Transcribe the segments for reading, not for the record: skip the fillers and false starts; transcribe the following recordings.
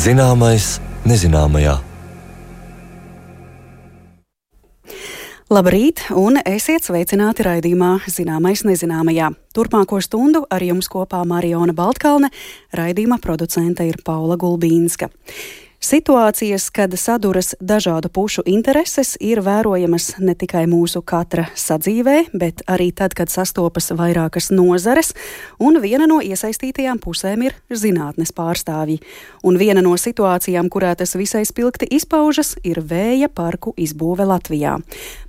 Zināmais nezināmajā. Labrīt, un esiet sveicināti raidījumā Zināmais nezināmajā. Turpmāko stundu ar jums kopā Mariona Baltkalne, raidījuma producente ir Paula Gulbīnska. Situācijas, kad saduras dažādu pušu intereses, ir vērojamas ne tikai mūsu katra sadzīvē, bet arī tad, kad sastopas vairākas nozares, un viena no iesaistītajām pusēm ir zinātnes pārstāvji. Un viena no situācijām, kurā tas visai spilgti izpaužas, ir vēja parku izbūve Latvijā.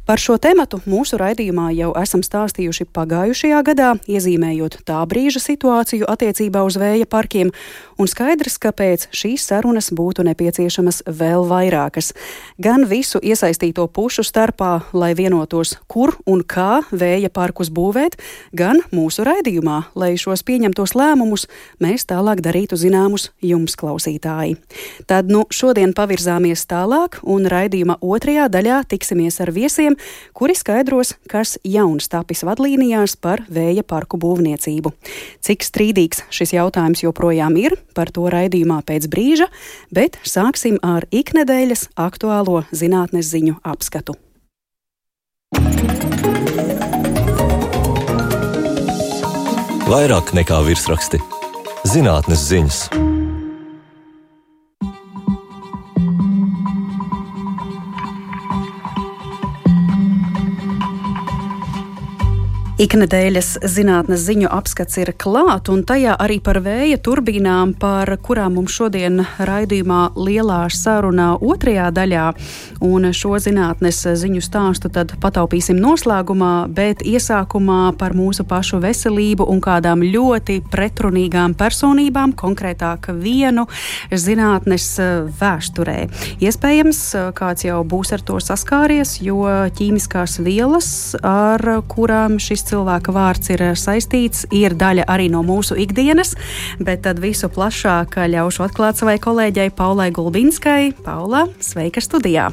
Par šo tematu mūsu raidījumā jau esam stāstījuši pagājušajā gadā, iezīmējot tā brīža situāciju attiecībā uz vēja parkiem, un skaidrs, kāpēc šīs sarunas būtu nepieciešamas vēl vairākas. Gan visu iesaistīto pušu starpā, lai vienotos, kur un kā vēja parkus būvēt, gan mūsu raidījumā, lai šos pieņemtos lēmumus mēs tālāk darītu zināmus jums, klausītāji. Tad šodien pavirzāmies tālāk, un raidījuma otrajā daļā tiksimies ar viesiem, kuri skaidros, kas jauns tapis vadlīnijās par vēja parku būvniecību. Cik strīdīgs šis jautājums joprojām ir, par to raidījumā pēc brīža, bet sāksim ar iknedēļas aktuālo zinātnes ziņu apskatu. Vairāk nekā virsraksti. Zinātnes ziņas. Iknedēļas zinātnes ziņu apskats ir klāt, un tajā arī par vēja turbīnām, par kurām mums šodien raidījumā lielā sarunā otrajā daļā. Un šo zinātnes ziņu stāstu tad pataupīsim noslēgumā, bet iesākumā par mūsu pašu veselību un kādām ļoti pretrunīgām personībām, konkrētāk vienu zinātnes vēsturē. Iespējams, kāds jau būs ar to saskāries, jo ķīmiskās vielas, ar kurām šis cilvēka vārds ir saistīts, ir daļa arī no mūsu ikdienas, bet tad visu plašāk ļaušu atklāt savai kolēģei Paulai Gulbīnskai. Paula, sveika studijā!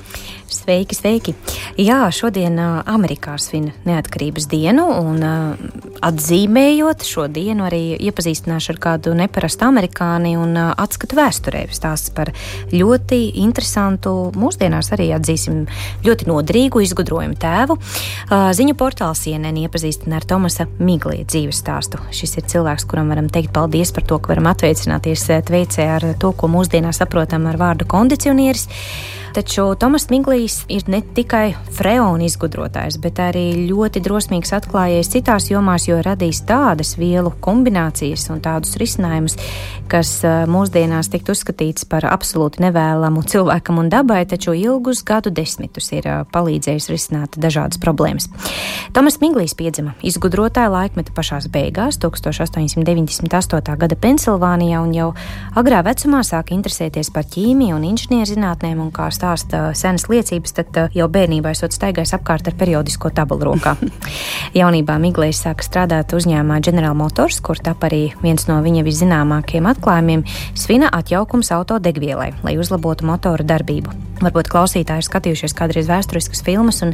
Sveiki, sveiki! Jā, šodien Amerikā svin neatkarības dienu, un atzīmējot šo dienu arī iepazīstināšu ar kādu neparastu amerikāni un atskatu vēsturē. Stāsts par ļoti interesantu, mūsdienās arī atzīsim ļoti noderīgu izgudrojumu tēvu. Ziņu portāls CNN iepazīstina ar Tomasa Miglija dzīves stāstu. Šis ir cilvēks, kuram varam teikt paldies par to, ka varam atveicināties Tveicē ar to, ko mūsdienās saprotam ar vārdu kondicionieris. Taču Tomas Miglijs ir ne tikai freona izgudrotājs, bet arī ļoti drosmīgs atklājējs citās jomās, jo radījis tādas vielu kombinācijas un tādus risinājumus, kas mūsdienās tikt uzskatīts par absolūti nevēlamu cilvēkam un dabai, taču ilgus gadu desmitus ir palīdzējis risināt dažādas problēmas. Tomas Miglijs piedzima izgudrotāja laikmeta pašās beigās, 1898. gada Pensilvānijā, un jau agrā vecumā sāka interesēties par ķīmiju un inženierzinātnēm, un kā stāsta senas liecības, tad jau bērnībā esot staigājis apkārt ar periodisko tabulu rokā. Jaunībā Miglijs sāka strādāt uzņēmumā General Motors, kur tap arī viens no viņa viszināmākajiem atklājumiem - svina atjaukums autodegvielai, lai uzlabotu motoru darbību. Varbūt klausītāji ir skatījušies kādreiz vēsturiskas filmas un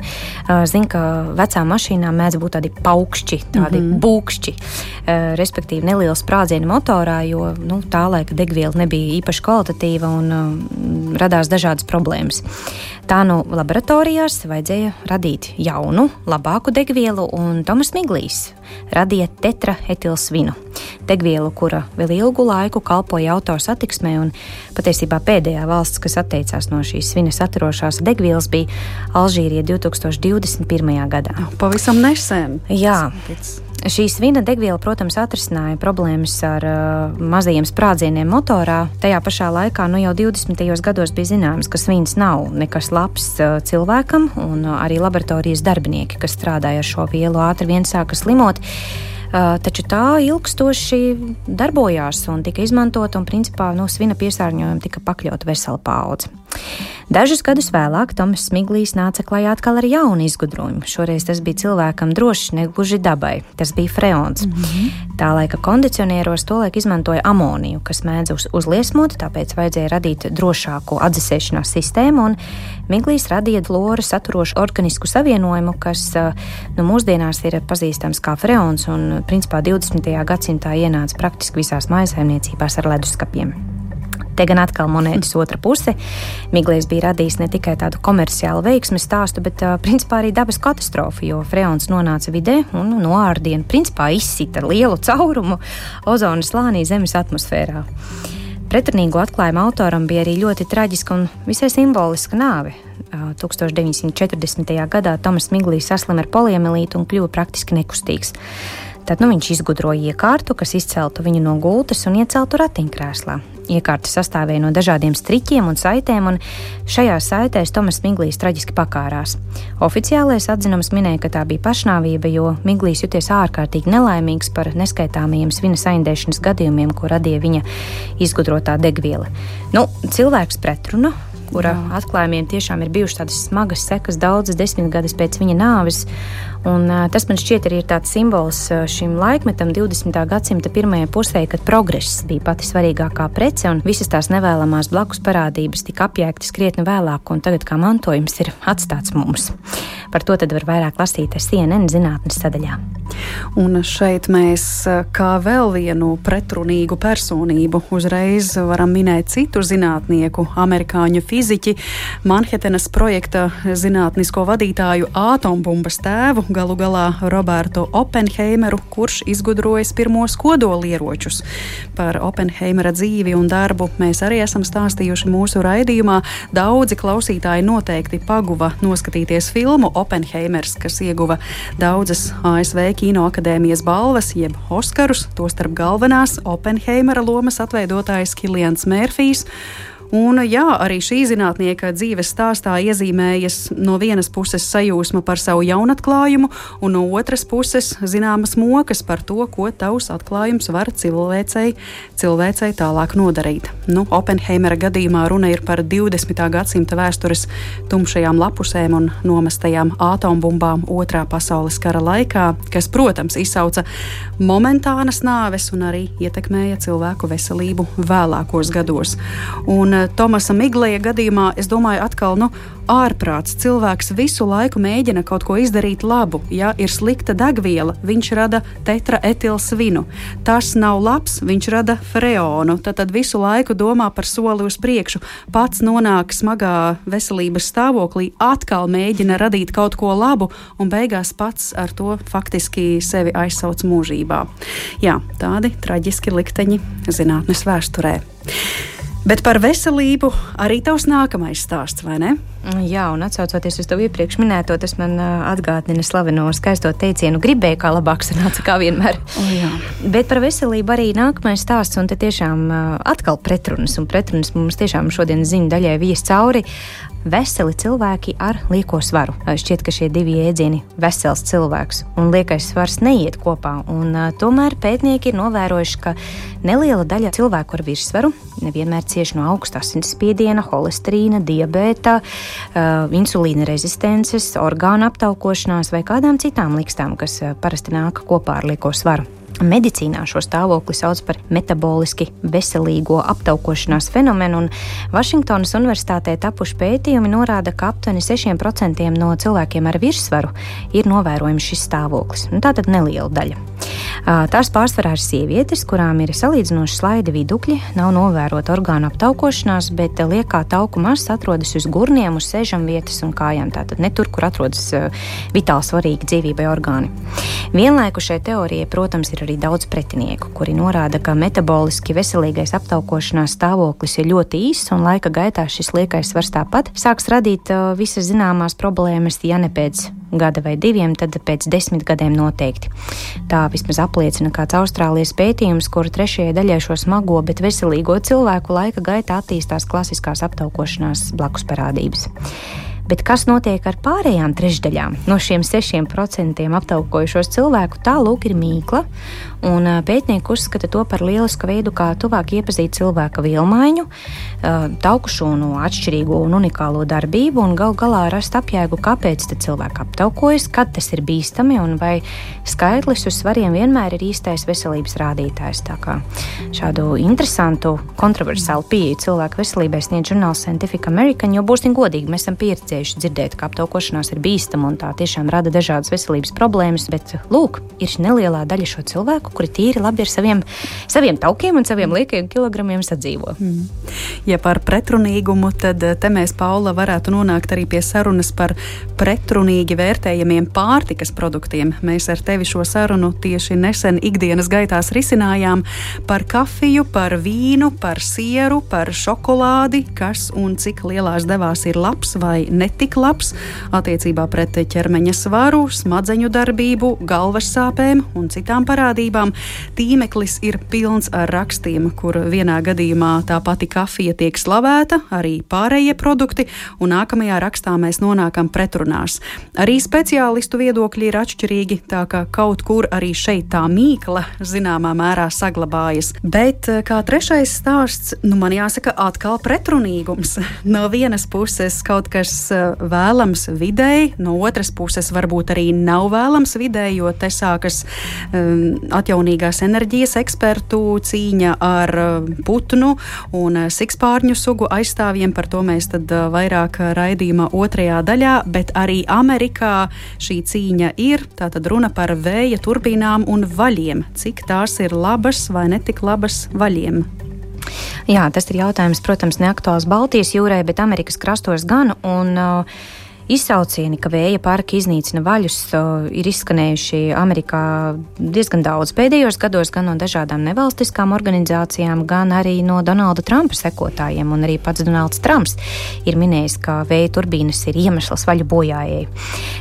zina, ka vecām mašīnām mēdz būt tādi paukšķi, tādi būkšķi, respektīvi neliels sprādzieni motorā, jo tā laika degviela nebija īpaši kvalitatīva un radās dažādas problēmas. Tā laboratorijās vajadzēja radīt jaunu, labāku degvielu, un Tomas Miglijs radīja tetraetilsvinu. Degvielu, kura vēl ilgu laiku kalpoja auto satiksmē, un patiesībā pēdējā valsts, kas atteicās no šīs svina saturošās degvielas, bija Alžīrija 2021. gadā. Pavisam nesen. Jā. Šī svina degviela, protams, atrisināja problēmas ar mazajiem sprādzieniem motorā. Tajā pašā laikā jau 20. gados bija zināms, ka svins nav nekas labs cilvēkam, un arī laboratorijas darbinieki, kas strādāja ar šo vielu, ātri vien sāka slimot. Taču tā ilgstoši darbojās un tika izmantota, un principā svina piesārņojuma tika pakļauta vesela paudze. Dažus gadus vēlāk Tomas Miglijs nāca klajā atkal ar jaunu izgudrojumu. Šoreiz tas bija cilvēkam drošs, negluži dabai. Tas bija freons. Tā laika kondicionieros tolaik izmantoja amoniju, kas mēdz uzliesmot, tāpēc vajadzēja radīt drošāku atdzesēšanās sistēmu, un Miglijs radīja fluoru saturošu organisku savienojumu, kas mūsdienās ir pazīstams kā freons, un principā 20. gadsimtā ienāca praktiski visās mājsaimniecībās ar leduskapiem. Te gan atkal monētas otra puse. Miglējs bija radījis ne tikai tādu komerciālu veiksmes stāstu, bet principā arī dabas katastrofu, jo freons nonāca vidē un noārdienu principā izsita lielu caurumu ozona slānī Zemes atmosfērā. Pretrunīgo atklājumu autoram bija arī ļoti traģiska un visai simboliska nāve. 1940. gadā Tomas Miglējs saslima ar poliomielītu un kļuva praktiski nekustīgs. Tad viņš izgudroja iekārtu, kas izceltu viņu no gultas un ieceltu ratiņkrēslā. Iekārta sastāvēja no dažādiem striķiem un saitēm, un šajās saitēs Tomas Miglējs traģiski pakārās. Oficiālais atzinums minēja, ka tā bija pašnāvība, jo Miglējs juties ārkārtīgi nelaimīgs par neskaitāmajiem svina saindēšanas gadījumiem, ko radīja viņa izgudrotā degviela. Cilvēks pretruna, kura atklājumiem tiešām ir bijušas tādas smagas sekas daudzas desmitgades pēc viņa nāves. Un tas man šķiet arī ir tāds simbols šim laikmetam 20. gadsimta pirmajai pusē, kad progress bija pati svarīgākā prece un visas tās nevēlamās blakus parādības tika apjēgtas krietni vēlāk un tagad kā mantojums ir atstāts mums. Par to tad var vairāk lasīt CNN zinātnes sadaļā. Un šeit mēs kā vēl vienu pretrunīgu personību uzreiz varam minēt citu zinātnieku, amerikāņu fiziķi, Manhetenas projekta zinātnisko vadītāju atombumbas tēvu, galu galā Robertu Oppenheimeru, kurš izgudrojas pirmos kodolieročus. Par Oppenheimera dzīvi un darbu mēs arī esam stāstījuši mūsu raidījumā. Daudzi klausītāji noteikti paguva noskatīties filmu Oppenheimers, kas ieguva daudzas ASV Kinoakadēmijas balvas, jeb Oskarus, tostarp galvenās Oppenheimera lomas atveidotājs Kilians Mērfijs. Un arī šī zinātnieka dzīves stāstā iezīmējas no vienas puses sajūsma par savu jaunatklājumu, un no otras puses zināmas mokas par to, ko tavs atklājums var cilvēcei tālāk nodarīt. Oppenheimera gadījumā runa ir par 20. gadsimta vēstures tumšajām lapusēm un nomestajām atombumbām Otrā pasaules kara laikā, kas, protams, izsauca momentānas nāves un arī ietekmēja cilvēku veselību vēlākos gados. Un Tomasa Miglēja gadījumā, es domāju, atkal, ārprāts. Cilvēks visu laiku mēģina kaut ko izdarīt labu. Ja ir slikta degviela, viņš rada tetraetilsvinu. Tas nav labs, viņš rada freonu. Tad visu laiku domā par soli uz priekšu. Pats nonāk smagā veselības stāvoklī, atkal mēģina radīt kaut ko labu un beigās pats ar to faktiski sevi aizsauc mūžībā. Jā, tādi traģiski likteņi zinātnes vēsturē. Bet par veselību arī tavs nākamais stāsts, vai ne? Jā, un atsaucoties uz to iepriekš minēto, tas man atgādina slaveno skaisto teicienu gribēju, kā labāk sanāca, kā vienmēr. Bet par veselību arī nākamais stāsts, un te tiešām atkal pretrunas, un pretrunas mums tiešām šodien ziņu daļai vies cauri. Veseli cilvēki ar lieko svaru. Šķiet, ka šie divi jēdzieni - vesels cilvēks un liekais svars neiet kopā, un tomēr pētnieki ir novērojuši, ka neliela daļa cilvēku ar virsvaru nevienmēr cieši no augsta asinsspiediena, holesterīna, diabēta, insulīna rezistences, orgānu aptaukošanās vai kādām citām likstām, kas parasti nāk kopā ar lieko svaru. Medicīnā šo stāvokli sauc par metaboliski veselīgo aptaukošanās fenomenu, un Vašingtonas universitātē tapuši pētījumi norāda, ka aptuveni 6% no cilvēkiem ar virsvaru ir novērojams šis stāvoklis. Tātad neliela daļa. Tās pārsvarā ir sievietes, kurām ir salīdzinoši slaidi vidukļi, nav novērota orgānu aptaukošanās, bet liekā tauku masa atrodas uz gurniem, uz sēžamvietas un kājām, tātad ne tur, kur atrodas vitāli svarīgi dzīvībai orgāni. Vienlaiku šai teorijai, protams, ir arī daudz pretinieku, kuri norāda, ka metaboliski veselīgais aptaukošanās stāvoklis ir ļoti īss un laika gaitā šis liekais svars tāpat sāks radīt visas zināmās problēmas, ja ne pēc gada vai diviem, tad pēc 10 gadiem noteikti. Tā vismaz apliecina kāds Austrālijas pētījums, kuru trešajai daļai šo smago, bet veselīgo cilvēku laika gaitā attīstās klasiskās aptaukošanās blakus parādības. Bet kas notiek ar pārējām trešdaļām? No šiem 6% aptaukojušos cilvēku tā lūk ir mīkla, un pētnieki uzskata to par lielisku veidu, kā tuvāk iepazīt cilvēka vielmaiņu, tauku šūnu atšķirīgo un unikālo darbību, un gal galā rast apjēgu, kāpēc tad cilvēki aptaukojas, kad tas ir bīstami, un vai skaitlis uz svariem vienmēr ir īstais veselības rādītājs. Tā kā šādu interesantu, kontroversālu pieeju cilvēku veselībai sniedz žurnāls Scientific American, jo būsim godīgi, mēs esam pieredzējuši dzirdējuši dzirdēt, ka aptaukošanās ir bīstama un tā tiešām rada dažādas veselības problēmas, bet, lūk, ir nelielā daļa šo cilvēku, kuri tīri labi ar saviem taukiem un saviem liekajiem kilogramiem sadzīvo. Ja par pretrunīgumu, tad te mēs, Paula, varētu nonākt arī pie sarunas par pretrunīgi vērtējamiem pārtikas produktiem. Mēs ar tevi šo sarunu tieši nesen ikdienas gaitās risinājām par kafiju, par vīnu, par sieru, par šokolādi, kas un cik lielās devās ir labs vai netik labs attiecībā pret ķermeņa svaru, smadzeņu darbību, galvas sāpēm un citām parādībām. Tīmeklis ir pilns ar rakstiem, kur vienā gadījumā tā pati kafija tiek slavēta, arī pārējie produkti, un nākamajā rakstā mēs nonākam pretrunās. Arī speciālistu viedokļi ir atšķirīgi, tā ka kaut kur arī šeit tā mīkla zināmā mērā saglabājas. Bet kā trešais stāsts, man jāsaka atkal pretrunīgums. No vienas puses kaut kas vēlams videi, no otras puses varbūt arī nav vēlams videi, jo te sākas atjaunīgās enerģijas ekspertu cīņa ar putnu un sikspārņu sugu aizstāvjiem. Par to mēs tad vairāk raidījuma otrajā daļā, bet arī Amerikā šī cīņa ir. Tātad runa par vēja turbīnām un vaļiem. Cik tās ir labas vai netik labas vaļiem? Jā, tas ir jautājums, protams, neaktuāls Baltijas jūrai, bet Amerikas krastos gan, un izsaucieni, ka vēja parki iznīcina vaļus, ir izskanējuši Amerikā diezgan daudz pēdējos gados, gan no dažādām nevalstiskām organizācijām, gan arī no Donalda Trumpa sekotājiem, un arī pats Donalds Trumps ir minējis, ka vēja turbīnas ir iemesls vaļu bojājai.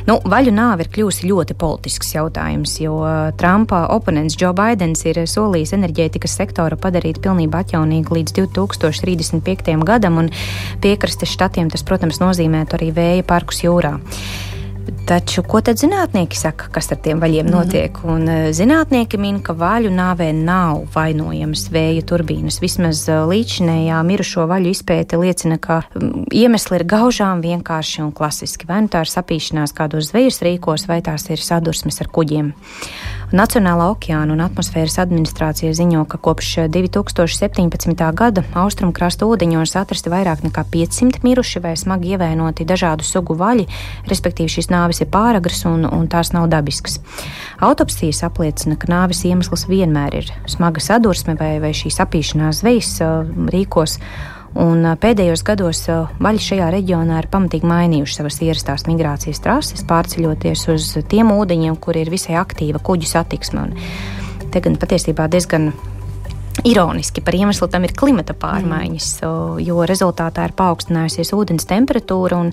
Vaļu nāve ir kļūsi ļoti politisks jautājums, jo Trumpa oponents Joe Bidens ir solījis enerģētikas sektoru padarīt pilnībā atjaunīgu līdz 2035. gadam, un piekrastes štatiem tas, protams, nozīmētu arī vēja parkus jūrā. Taču, ko tad zinātnieki saka, kas ar tiem vaļiem notiek? Un zinātnieki min, ka vaļu nāvē nav vainojamas vēja turbīnas. Vismaz līdzinējā mirušo vaļu izpēte liecina, ka iemesli ir gaužām vienkārši un klasiski. Vai nu tā ir sapīšanās kādos zvejas rīkos, vai tās ir sadursmes ar kuģiem. Nacionālā okeāna un atmosfēras administrācija ziņo, ka kopš 2017. gada austrumkrasta ūdeņos atrasti vairāk nekā 500 miruši vai smagi ievainoti dažādu sugu vaļi, respektīvi šīs nāves ir pāragras un tās nav dabiskas. Autopsijas apliecina, ka nāves iemesls vienmēr ir smaga sadursme vai šī sapīšanās zvejas rīkos. Un pēdējos gados vaļi šajā reģionā ir pamatīgi mainījuši savas ierastās migrācijas trases, pārceļoties uz tiem ūdeņiem, kur ir visai aktīva kuģu satiksme. Un te gan patiesībā diezgan ironiski par iemeslu tam ir klimata pārmaiņas, jo rezultātā ir paaugstinājusies ūdens temperatūra un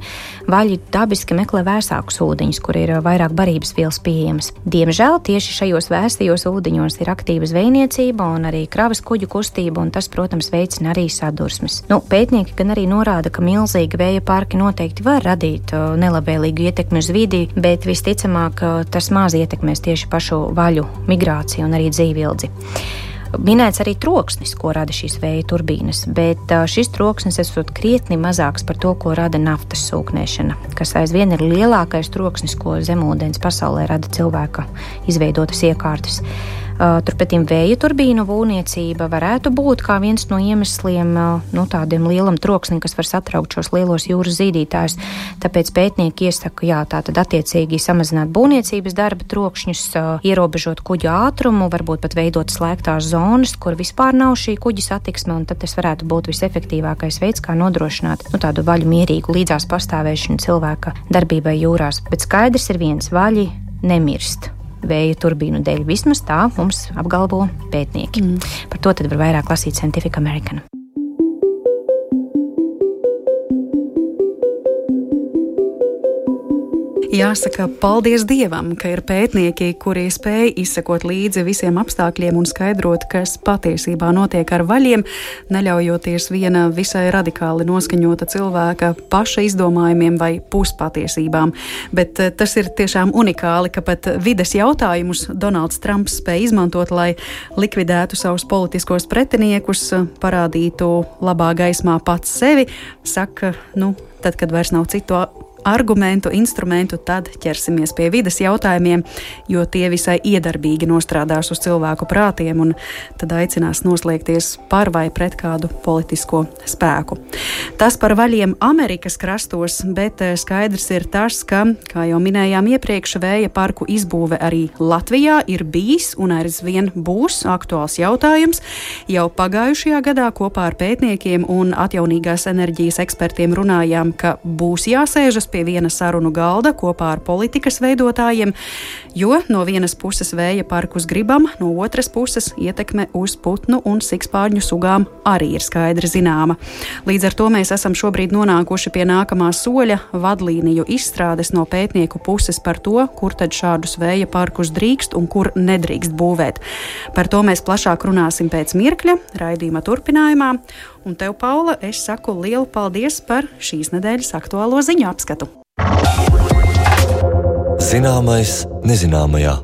vaļi dabiski meklē vēsākus ūdeņus, kur ir vairāk barības vielas pieejamas. Diemžēl tieši šajos vēstajos ūdeņos ir aktīva zvejniecība un arī kravas kuģu kustība, un tas, protams, veicina arī sadursmes. Pētnieki gan arī norāda, ka milzīgi vēja parki noteikti var radīt nelabvēlīgu ietekmi uz vidi, bet visticamāk tas maz ietekmēs tieši pašu vaļu migrāciju un arī dzīvildzi. Minēts arī troksnis, ko rada šīs vēja turbīnas, bet šis troksnis esot krietni mazāks par to, ko rada naftas sūknēšana, kas aizvien ir lielākais troksnis, ko zemūdens pasaulē rada cilvēka izveidotas iekārtas. Turpretī vēja turbīnu būvniecība varētu būt kā viens no iemesliem tādiem lielam troksnim, kas var satraukt šos lielos jūras zīdītājus. Tāpēc pētnieki iesaka, tātad attiecīgi samazināt būvniecības darba trokšņus, ierobežot kuģu ātrumu, varbūt pat veidot slēgtās zonas, kur vispār nav šī kuģa satiksme, un tad tas varētu būt visefektīvākais veids, kā nodrošināt tādu vaļu mierīgu līdzās pastāvēšanu cilvēka darbībai jūrās. Bet skaidrs ir viens, vaļi nemirst vēja turbīnu dēļ. Vismaz tā mums apgalvo pētnieki. Par to tad var vairāk lasīt Scientific American. Jāsaka, paldies Dievam, ka ir pētnieki, kuri spēj izsekot līdzi visiem apstākļiem un skaidrot, kas patiesībā notiek ar vaļiem, neļaujoties viena visai radikāli noskaņota cilvēka paša izdomājumiem vai puspatiesībām. Bet tas ir tiešām unikāli, ka pat vides jautājumus Donalds Trumps spēj izmantot, lai likvidētu savus politiskos pretiniekus, parādītu labā gaismā pats sevi. Saka, tad, kad vairs nav citu argumentu, instrumentu, tad ķersimies pie vides jautājumiem, jo tie visai iedarbīgi nostrādās uz cilvēku prātiem un tad aicinās noslēgties par vai pret kādu politisko spēku. Tas par vaļiem Amerikas krastos, bet skaidrs ir tas, ka, kā jau minējām iepriekš, vēja parku izbūve arī Latvijā ir bijis un aizvien būs aktuāls jautājums. Jau pagājušajā gadā kopā ar pētniekiem un atjaunīgās enerģijas ekspertiem runājām, ka būs jāsēžas pie viena sarunu galda kopā ar politikas veidotājiem, jo no vienas puses vēja parkus gribam, no otras puses ietekme uz putnu un sikspārņu sugām arī ir skaidri zināma. Līdz ar to mēs esam šobrīd nonākuši pie nākamā soļa vadlīniju izstrādes no pētnieku puses par to, kur tad šādus vēja parkus drīkst un kur nedrīkst būvēt. Par to mēs plašāk runāsim pēc mirkļa raidījuma turpinājumā. Un tev, Paula, es saku lielu paldies par šīs nedēļas aktuālo ziņu apskatu. Zināmais nezināmajā.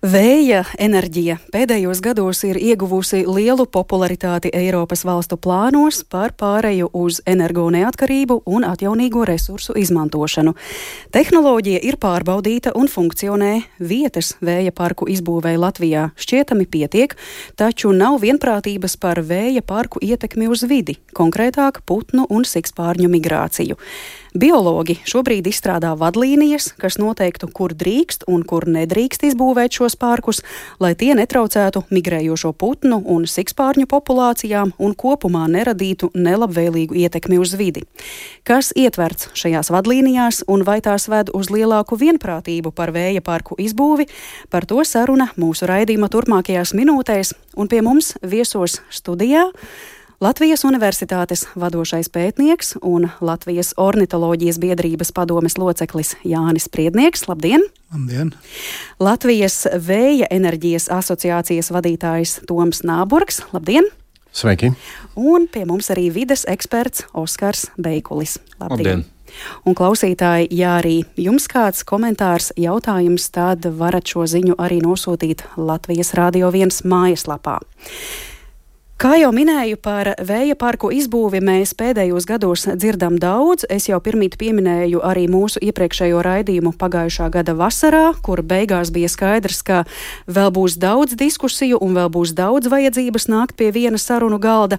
Vēja enerģija pēdējos gados ir ieguvusi lielu popularitāti Eiropas valstu plānos par pāreju uz energoneatkarību un atjaunīgo resursu izmantošanu. Tehnoloģija ir pārbaudīta un funkcionē, vietas vēja parku izbūvēja Latvijā šķietami pietiek, taču nav vienprātības par vēja parku ietekmi uz vidi, konkrētāk putnu un sikspārņu migrāciju. Biologi šobrīd izstrādā vadlīnijas, kas noteiktu, kur drīkst un kur nedrīkst izbūvēt šos parkus, lai tie netraucētu migrējošo putnu un sikspārņu populācijām un kopumā neradītu nelabvēlīgu ietekmi uz vidi. Kas ietverts šajās vadlīnijās un vai tās ved uz lielāku vienprātību par vēja parku izbūvi, par to saruna mūsu raidījuma turpmākajās minūtēs, un pie mums viesos studijā Latvijas Universitātes vadošais pētnieks un Latvijas ornitoloģijas biedrības padomes loceklis Jānis Spriednieks. Labdien! Labdien! Latvijas Vēja enerģijas asociācijas vadītājs Toms Nāburgs. Labdien! Sveiki! Un pie mums arī vides eksperts Oskars Beikulis. Labdien! Un klausītāji, ja arī jums kāds komentārs, jautājums, tad varat šo ziņu arī nosūtīt Latvijas Radio 1 mājaslapā. Kā jau minēju, par vēja parku izbūvi mēs pēdējos gados dzirdam daudz. Es jau pirmīt pieminēju arī mūsu iepriekšējo raidījumu pagājušā gada vasarā, kur beigās bija skaidrs, ka vēl būs daudz diskusiju un vēl būs daudz vajadzības nākt pie viena sarunu galda.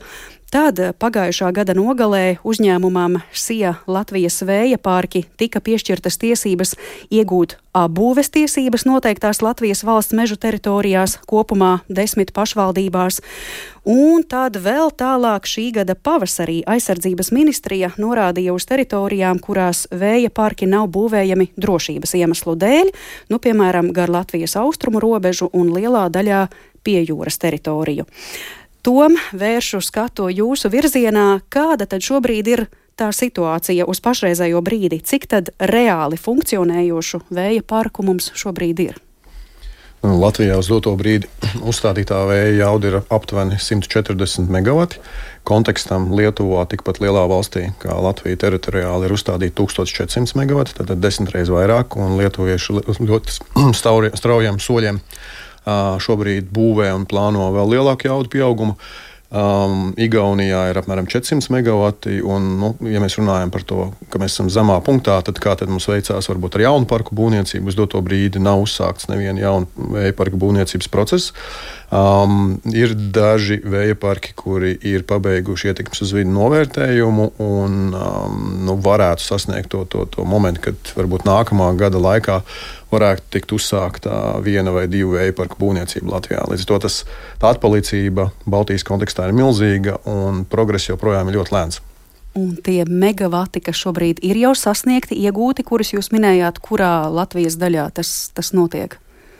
Tad pagājušā gada nogalē uzņēmumam SIA Latvijas vēja parki tika piešķirtas tiesības iegūt apbūves tiesības noteiktās Latvijas valsts mežu teritorijās, kopumā 10 pašvaldībās. Un tad vēl tālāk šī gada pavasarī aizsardzības ministrija norādīja uz teritorijām, kurās vēja parki nav būvējami drošības iemeslu dēļ, piemēram, gar Latvijas austrumu robežu un lielā daļā pie jūras teritoriju. Tom, vēršu skatu jūsu virzienā, kāda tad šobrīd ir tā situācija uz pašreizējo brīdi? Cik tad reāli funkcionējošu vēja parku mums šobrīd ir? Latvijā uz doto brīdi uzstādītā vēja jauda ir aptuveni 140 megawati. Kontekstam Lietuvā tikpat lielā valstī kā Latvija teritoriāli ir uzstādīta 1400 megawati, tātad 10 reizes vairāk, un lietuvieši ļoti straujiem soļiem šobrīd būvē un plāno vēl lielāku jaudu pieaugumu. Igaunijā ir apmēram 400 megawati, un, ja mēs runājam par to, ka mēs esam zemā punktā, tad kā tad mums veicās varbūt ar jaunu parku būvniecību? Uz doto brīdi nav uzsākts neviena jauna vēja parku būvniecības process. Ir daži vēja parki, kuri ir pabeiguši ietekmes uz vidi novērtējumu un varētu sasniegt to momentu, kad varbūt nākamā gada laikā varētu tikt uzsākta viena vai divu vēja parku būvniecība Latvijā. Līdz ar to tā atpalīdzība Baltijas kontekstā ir milzīga un progress joprojām ir ļoti lēns. Un tie megavati, kas šobrīd ir jau sasniegti, iegūti, kurus jūs minējāt, kurā Latvijas daļā tas notiek?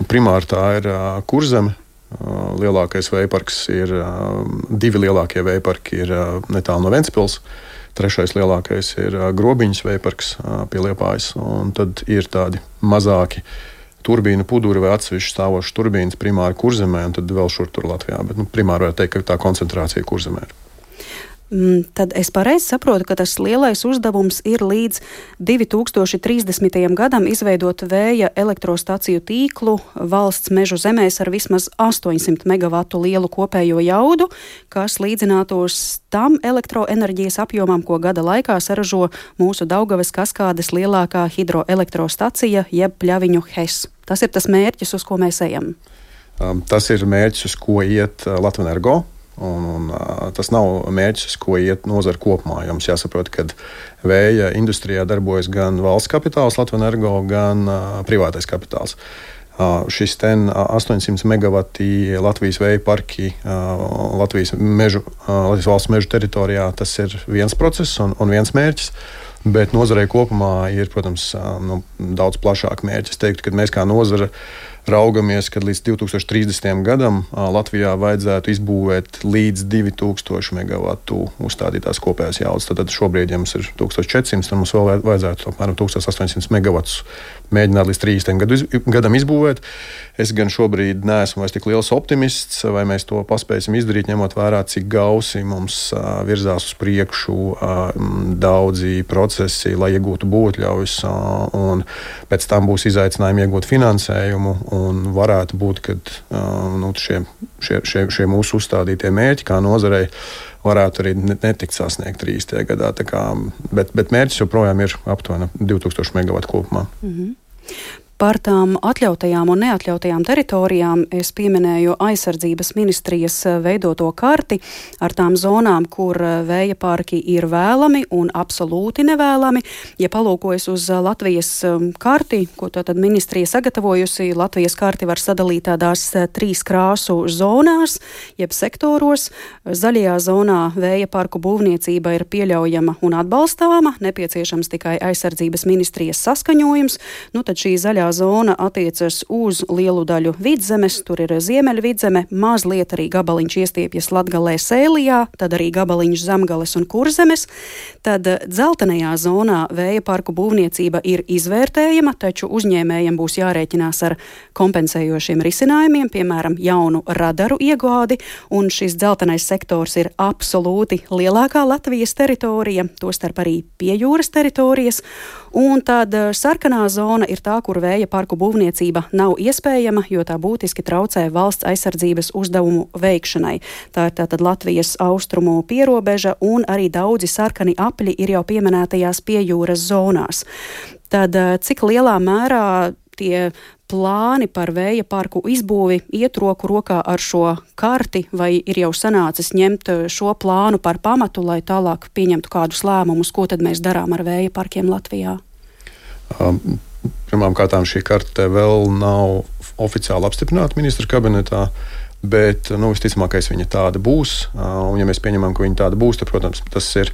Primāri tā ir Kurzeme. Lielākais vēja parks ir, divi lielākie vēja parki ir netālu no Ventspils. Trešais lielākais ir Grobiņas vēja parks pie Liepājas. Un tad ir tādi mazāki turbīnu puduri vai atsevišķi stāvošas turbīnas primāri Kurzemē un tad vēl šur tur Latvijā. Bet primāri var teikt, ka tā koncentrācija Kurzemē ir. Tad es pareizi saprotu, ka tas lielais uzdevums ir līdz 2030. gadam izveidot vēja elektrostaciju tīklu valsts mežu zemēs ar vismaz 800 megavatu lielu kopējo jaudu, kas līdzinātos tam elektroenerģijas apjomam, ko gada laikā saražo mūsu Daugavas kaskādes lielākā hidroelektrostacija jeb Pļaviņu HES. Tas ir tas mērķis, uz ko mēs ejam. Tas ir mērķis, uz ko iet Latvenergo. Un tas nav mērķis, uz ko iet nozara kopumā. Jums jāsaprot, ka vēja industrijā darbojas gan valsts kapitāls, Latvenergo, gan privātais kapitāls. Šis 800 megawati Latvijas vēja parki Latvijas valsts mežu teritorijā, tas ir viens process un viens mērķis. Bet nozarei kopumā ir, protams, daudz plašāk mērķis. Es teiktu, ka mēs kā nozara raugamies, ka līdz 2030. gadam Latvijā vajadzētu izbūvēt līdz 2000 megawatu uzstādītās kopējās jaudas. Tad šobrīd, ja mums ir 1400, tad mums vēl vajadzētu apmēram 1800 megawatus mēģināt līdz 30. gadam izbūvēt. Es gan šobrīd neesmu vairs tik liels optimists, vai mēs to paspēsim izdarīt, ņemot vērā, cik gausi mums virzās uz priekšu daudzi procesi, lai iegūtu būvotļaujas, un pēc tam būs izaicinājumi iegūt finansējumu, un varētu būt, ka šie mūsu uzstādītie mērķi kā nozarei varētu arī netikt sasniegt 30. gadā. Bet mērķis joprojām ir aptuveni 2000 megawatu kopumā. Par tām atļautajām un neatļautajām teritorijām es pieminēju aizsardzības ministrijas veidoto karti ar tām zonām, kur vēja parki ir vēlami un absolūti nevēlami. Ja palūkojas uz Latvijas karti, ko tātad ministrija sagatavojusi, Latvijas karti var sadalīt tādās 3 krāsu zonās, jeb sektoros. Zaļajā zonā vēja parku būvniecība ir pieļaujama un atbalstāma, nepieciešams tikai aizsardzības ministrijas saskaņojums. Tad šī zaļā zona attiecas uz lielu daļu Vidzemes, tur ir Ziemeļa Vidzeme, mazliet arī gabaliņš iestiepjas Latgalē, Sēlijā, tad arī gabaliņš Zemgales un Kurzemes. Tad dzeltenajā zonā vēja parku būvniecība ir izvērtējama, taču uzņēmējiem būs jārēķinās ar kompensējošiem risinājumiem, piemēram, jaunu radaru iegādi, un šis dzeltenais sektors ir absolūti lielākā Latvijas teritorija, tostarp arī pie jūras teritorijas, un tad sarkanā zona ir tā, kur vēja parku būvniecība nav iespējama, jo tā būtiski traucē valsts aizsardzības uzdevumu veikšanai. Tā ir tātad Latvijas austrumu pierobeža, un arī daudzi sarkani apļi ir jau pieminētajās piejūras zonās. Tad cik lielā mērā tie plāni par vēja parku izbūvi iet roku rokā ar šo karti, vai ir jau sanācis ņemt šo plānu par pamatu, lai tālāk pieņemtu kādus lēmumus, ko tad mēs darām ar vēja parkiem Latvijā? Pirmkārt, šī karte vēl nav oficiāli apstiprināta ministra kabinetā, bet visticamākais viņa tāda būs. Un, ja mēs pieņemam, ka viņa tāda būs, tad, protams, tas ir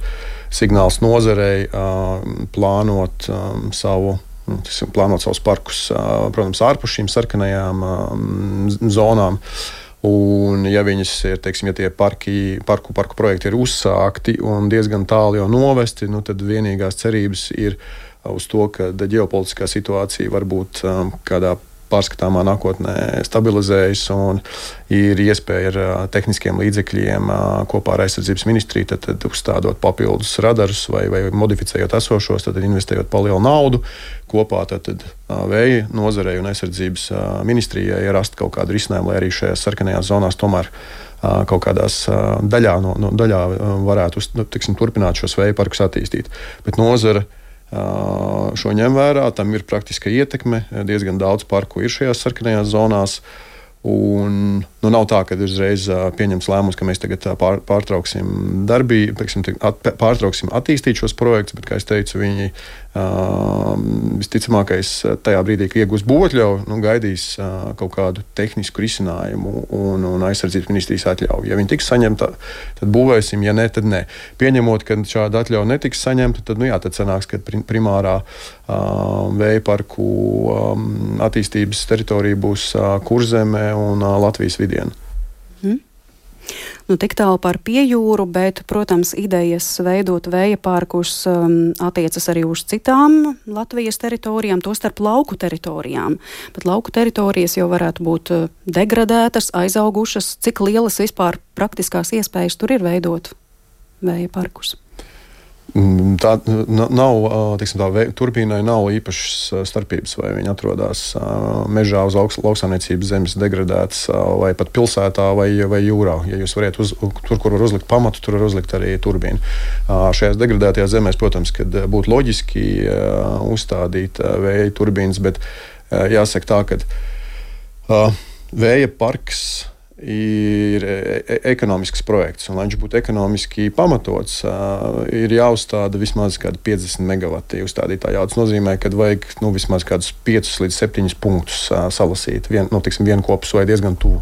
signāls nozarei plānot savus parkus, protams, ārpus šīm sarkanajām zonām. Un, ja viņas ir, ja tie parku projekti ir uzsākti un diezgan tālu jau novesti, tad vienīgās cerības ir uz to, ka ģeopolitiskā situācija varbūt kādā pārskatāmā nākotnē stabilizējas un ir iespēja ar tehniskiem līdzekļiem kopā ar aizsardzības ministriju tad uzstādot papildus radarus vai modificējot esošos, tad investējot palielu naudu kopā tad vēja nozarei un aizsardzības ministrijai rast kaut kādu risinājumu, lai arī šajās sarkanajās zonās tomēr kaut kādās daļā varētu turpināt šos vēja parkus attīstīt. Bet nozara šo ņem vērā, tam ir praktiska ietekme, diezgan daudz parku ir šajās sarkanajās zonās, un nav tā, ka uzreiz pieņems lēmums, ka mēs tagad pārtrauksim darbību, pārtrauksim attīstīt šos projektus, bet, kā es teicu, viņi visticamākais tajā brīdī, ka iegūs būvotļauju, gaidīs kaut kādu tehnisku risinājumu un aizsardzības ministrijas atļauju. Ja viņi tiks saņemta, tad būvēsim, ja ne, tad ne. Pieņemot, ka šāda atļauja netiks saņemta, tad sanāks, ka primārā vēja parku attīstības teritorija būs Kurzeme un Latvijas vidiena. Tik tālu par piejūru, bet, protams, idejas veidot vēja parkus attiecas arī uz citām Latvijas teritorijām, tostarp lauku teritorijām. Bet lauku teritorijas jau varētu būt degradētas, aizaugušas. Cik lielas vispār praktiskās iespējas tur ir veidot vēja parkus? Tā nav, turbīnai nav īpašas starpības, vai viņi atrodas mežā uz lauksaimniecības zemes degradētas, vai pat pilsētā, vai jūrā. Ja jūs varat tur, kur var uzlikt pamatu, tur var uzlikt arī turbīnu. Šajās degradētajās zemēs, protams, kad būtu loģiski uzstādīt vēja turbīnas, bet jāsaka tā, ka vēja parks ir ekonomisks projekts, un lai viņš būtu ekonomiski pamatots, ir jāuzstāda vismaz kādi 50 megavati uzstādītā jauda. Tas nozīmē, ka vajag vismaz kādus 5 līdz 7 punktus salasīt. Vienu kopus vai diezgan tuvu.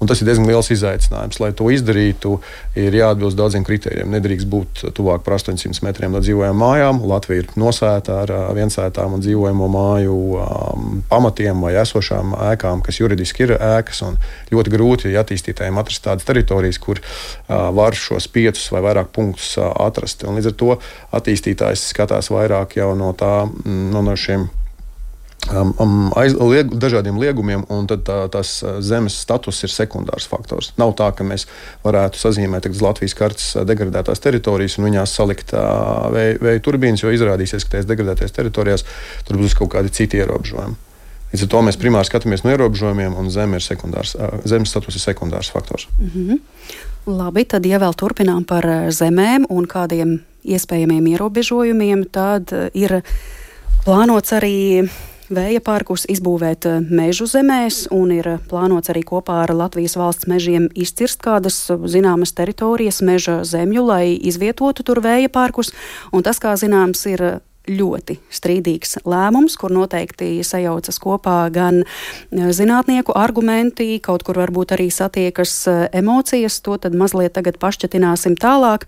Un tas ir diezgan liels izaicinājums. Lai to izdarītu, ir jāatbilst daudziem kritērijiem. Nedrīkst būt tuvāk par 800 metriem no dzīvojamām mājām. Latvija ir nosēta ar viensētām un dzīvojamo māju pamatiem vai esošām ēkām, kas juridiski ir ēkas. Ļoti grūti attīstītājiem atrast tādas teritorijas, kur var šos 5 vai vairāk punktus atrast. Un līdz ar to attīstītājs skatās vairāk jau no šiem dažādiem liegumiem, un tad tās zemes status ir sekundārs faktors. Nav tā, ka mēs varētu sazīmēt uz Latvijas kartes degradētās teritorijas un viņās salikt vēja turbīnas, jo izrādīsies, ka tajās degradētajās teritorijās tur būs kaut kādi citi ierobežojumi. Līdz ar to mēs primāri skatāmies no ierobežojumiem, un zemes status ir sekundārs faktors. Labi, tad ja vēl turpinām par zemēm un kādiem iespējamiem ierobežojumiem, tad ir plānots arī vēja parkus izbūvēt mežu zemēs, un ir plānots arī kopā ar Latvijas valsts mežiem izcirst kādas zināmas teritorijas meža zemju, lai izvietotu tur vēja parkus. Un tas, kā zināms, ir ļoti strīdīgs lēmums, kur noteikti sajaucas kopā gan zinātnieku argumenti, kaut kur varbūt arī satiekas emocijas. To tad mazliet tagad pašķetināsim tālāk,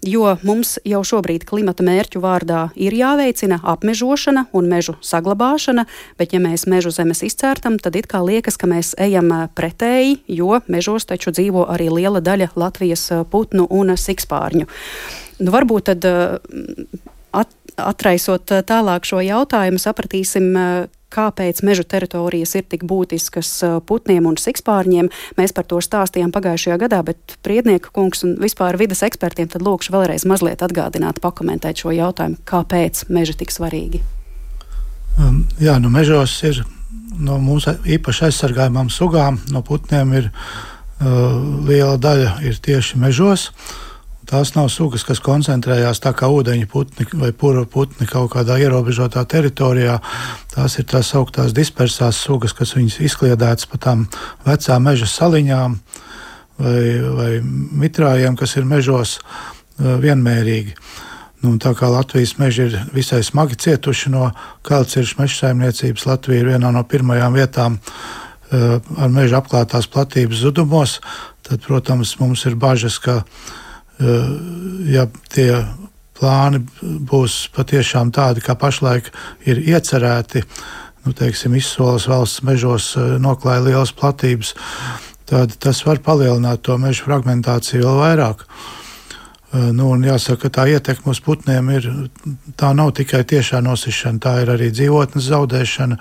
jo mums jau šobrīd klimata mērķu vārdā ir jāveicina apmežošana un mežu saglabāšana, bet ja mēs mežu zemes izcērtam, tad it kā liekas, ka mēs ejam pretēji, jo mežos taču dzīvo arī liela daļa Latvijas putnu un sikspārņu. Varbūt tad atraisot tālāk šo jautājumu, sapratīsim, kāpēc mežu teritorijas ir tik būtiskas putniem un sikspārņiem. Mēs par to stāstījām pagājušajā gadā, bet Priednieka kungs un vispār vides ekspertiem tad lūkšu vēlreiz mazliet atgādināt, pakomentēt šo jautājumu, kāpēc meži tik svarīgi. Mežos ir no mūsu īpaši aizsargājumām sugām, no putniem ir liela daļa ir tieši mežos. Tās nav sugas, kas koncentrējās tā kā ūdeņu putni vai pura putni kaut kādā ierobežotā teritorijā. Tās ir tās augtās dispersās sugas, kas viņas izkliedētas pa tām vecām meža saliņām vai mitrājiem, kas ir mežos vienmērīgi. Tā kā Latvijas meži ir visai smagi cietuši no kailciršu meža saimniecības, Latvija ir vienā no pirmajām vietām ar meža apklātās platības zudumos, tad, protams, mums ir bažas, ka ja tie plāni būs patiešām tādi, kā pašlaik ir iecerēti, izsoles valsts mežos noklāja lielas platības, tad tas var palielināt to mežu fragmentāciju vēl vairāk. Un jāsaka, ka tā ietekme uz putniem tā nav tikai tiešā nosišana, tā ir arī dzīvotnes zaudēšana,